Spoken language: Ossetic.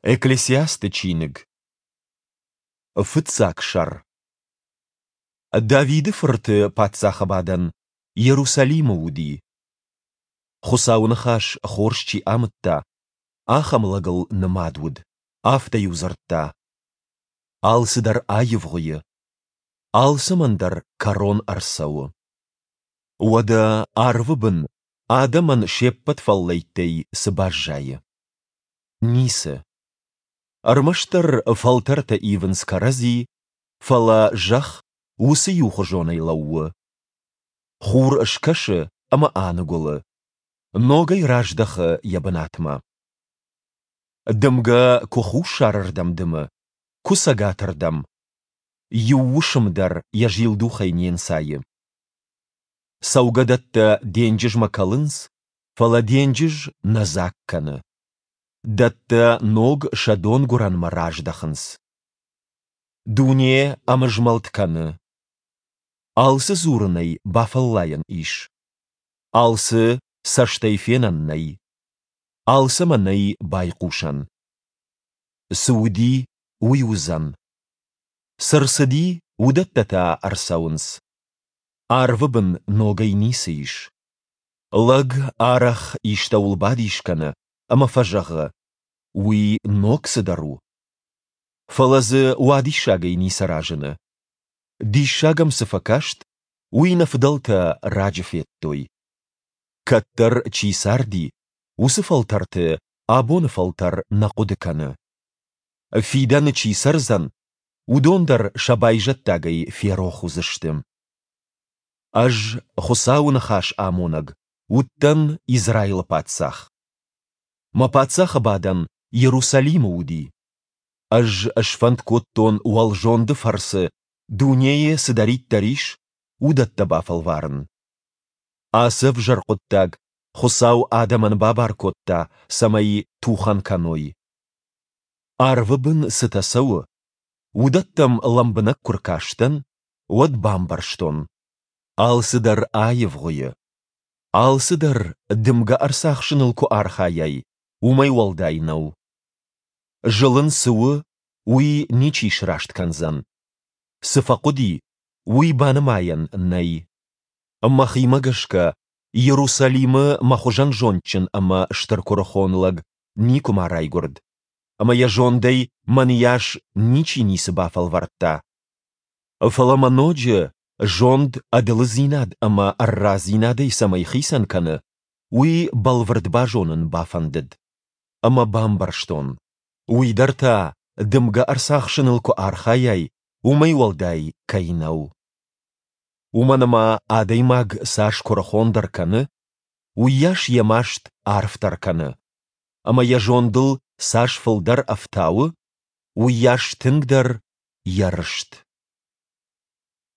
Экклесиасты чиныг. Фыццаг сӕр. Давиды фырты паддзахы бадӕн Иерусалимы уыди. Хуыцауы ныхас хорз чи амыдта, ахӕм лӕгыл нымад уыд, афтӕ-иу дзырдта: Алцыдӕр аивгъуыйы, алцӕмӕн дӕр кӕрон ӕрцӕуы. Уӕдӕ арвы бын адӕмӕн се ппӕт фӕллӕйттӕй цы баззайы? Ницы. Ӕрмӕстдӕр фӕлтӕртӕ ивынц кӕрӕдзи, фӕлӕ зӕхх уыцы иухуызонӕй лӕууы. Хур скӕсы ӕмӕ аныгуылы, ногӕй раздӕхы йӕ бынатмӕ. Дымгӕ куы хуссарырдӕм дымы, куы цӕгатырдӕм. Иу уысм дӕр йӕ зилдухӕй не нцайы. Цӕугӕдӕттӕ денджызмӕ кӕлынц, фӕлӕ денджыз нӕ дзаг кӕны. Дӕттӕ ног сӕ донгуырӕнмӕ раздӕхынц. Дуне ӕмызмӕлд кӕны. Алцы дзурынӕй бафӕллайӕн ис. Алцы цӕстӕй фенӕн нӕй. Алцӕмӕ нӕй байхъусӕн. Цы уыди, уый уыдзӕн. Цы рцыди, уыдӕттӕ та ӕрцӕуынц. Арвы бын ногӕй ницы ис. Лӕг арӕх истӕуыл бадис кӕны ӕмӕ фӕзӕгъы, уый ног цыдӕр у. Фӕлӕ дзы уадиссагӕй ницы разыны. Диссаг ӕм цы фӕкаст, уый нӕ фыдӕлтӕ раджы федтой. Кӕддӕр чи царди, уыцы фӕлтӕрты абоны фӕлтӕр нӕ хъуыды кӕны. Фидӕны чи цӕрдзӕн, уыдон дӕр сӕ байзӕддагӕй ферох уыдзысты. Ӕз, Хуыцауы ныхас амонӕг, уыдтӕн Израилы паддзах. Мӕ паддзахы бадӕн Иерусалимы уыди. Ӕз сфӕнд кодтон уӕлзонды фӕрцы дунейы цыдӕриддӕр ис, уыдӕттӕ бафӕлварын. Ацы ӕвзӕр хъуыддаг Хуыцау адӕмӕн бабар кодта, цӕмӕй тухӕн кӕной. Арвы бын цытӕ цӕуы, уыдӕттӕм лӕмбынӕг куы ркастӕн, уӕд бамбӕрстон, алцыдӕр аивгъуыйы. Алцыдӕр дымгӕ ӕрцахсыныл куы архайай, уымӕй уӕлдай нӕу. Зылын цы у, уый ничи сраст кӕндзӕн. Цы фӕхъуыди, уый банымайӕн нӕй. Мӕхимӕ гӕсгӕ, Иерусалимы мӕ хуызӕн зондджын ӕмӕ стыр куырыхон лӕг никуыма райгуырд, ӕмӕ йӕ зондӕй мӕныйас ничи ницы бафӕлвӕрдта. Фӕлӕ мӕ ноджы зонд ӕдылыдзинад ӕмӕ ӕррадзинадӕй цӕмӕй хицӕн кӕны, уый бӕлвырд базонын бафӕндыд. Ӕмӕ бамбӕрстон, уый дӕр та, дымгӕ ӕрцахсыныл куы архайай, уымӕй уӕлдай кӕй нӕу. Уымӕн ӕмӕ адӕймаг цас куырыхондӕр кӕны, уыйас йӕ маст арфдӕр кӕны, ӕмӕ йӕ зондыл цас фылдӕр ӕфтауы, уыйас тынгдӕр йӕ рыст.